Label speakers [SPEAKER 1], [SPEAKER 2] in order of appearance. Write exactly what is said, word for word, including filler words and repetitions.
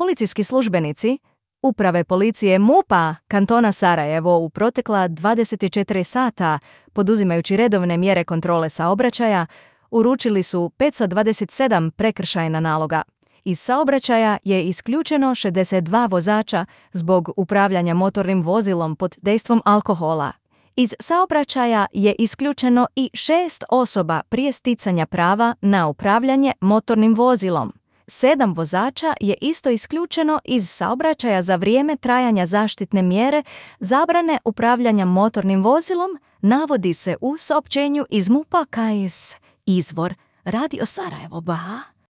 [SPEAKER 1] Policijski službenici Uprave policije MUP-a kantona Sarajevo u protekla dvadeset četiri sata, poduzimajući redovne mjere kontrole saobraćaja, uručili su petsto dvadeset sedam prekršajna naloga. Iz saobraćaja je isključeno šezdeset dva vozača zbog upravljanja motornim vozilom pod dejstvom alkohola. Iz saobraćaja je isključeno i šest osoba prije sticanja prava na upravljanje motornim vozilom. Sedam vozača je isto isključeno iz saobraćaja za vrijeme trajanja zaštitne mjere zabrane upravljanja motornim vozilom, navodi se u saopćenju iz MUP-a K S. Izvor Radio Sarajevo B a